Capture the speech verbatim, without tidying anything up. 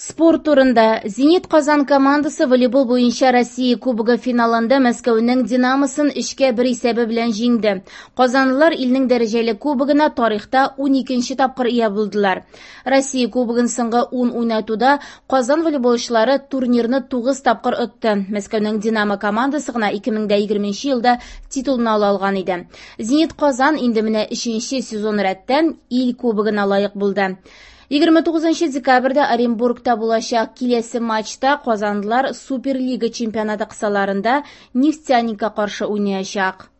Спорт турында. «Зенит» Казан командасы волейбол буенча Россия Кубогы финалында Мәскәүнең «Динамосын» өчкә бер исәбе белән җиңде. Казанлылар илнең дәрәҗәле кубогына тарихта уникенче тапкыр ия булдылар. Россия Кубогын соңгы ун уйнатуда Казан волейболчылары турнирны тугыз тапкыр отты. Мәскәүнең «Динамо» командасы гына ике мең дә егерменче елда титулны ала алган иде. «Зенит» Казан инде менә өченче сезон рәттән ил кубогына лаек булды. Егерме тугызынчы декабрьдә Оренбургта булачак киләсе матчта казанлылар Суперлига чемпионаты кысаларында «Нефтяникка» каршы уйнаячак.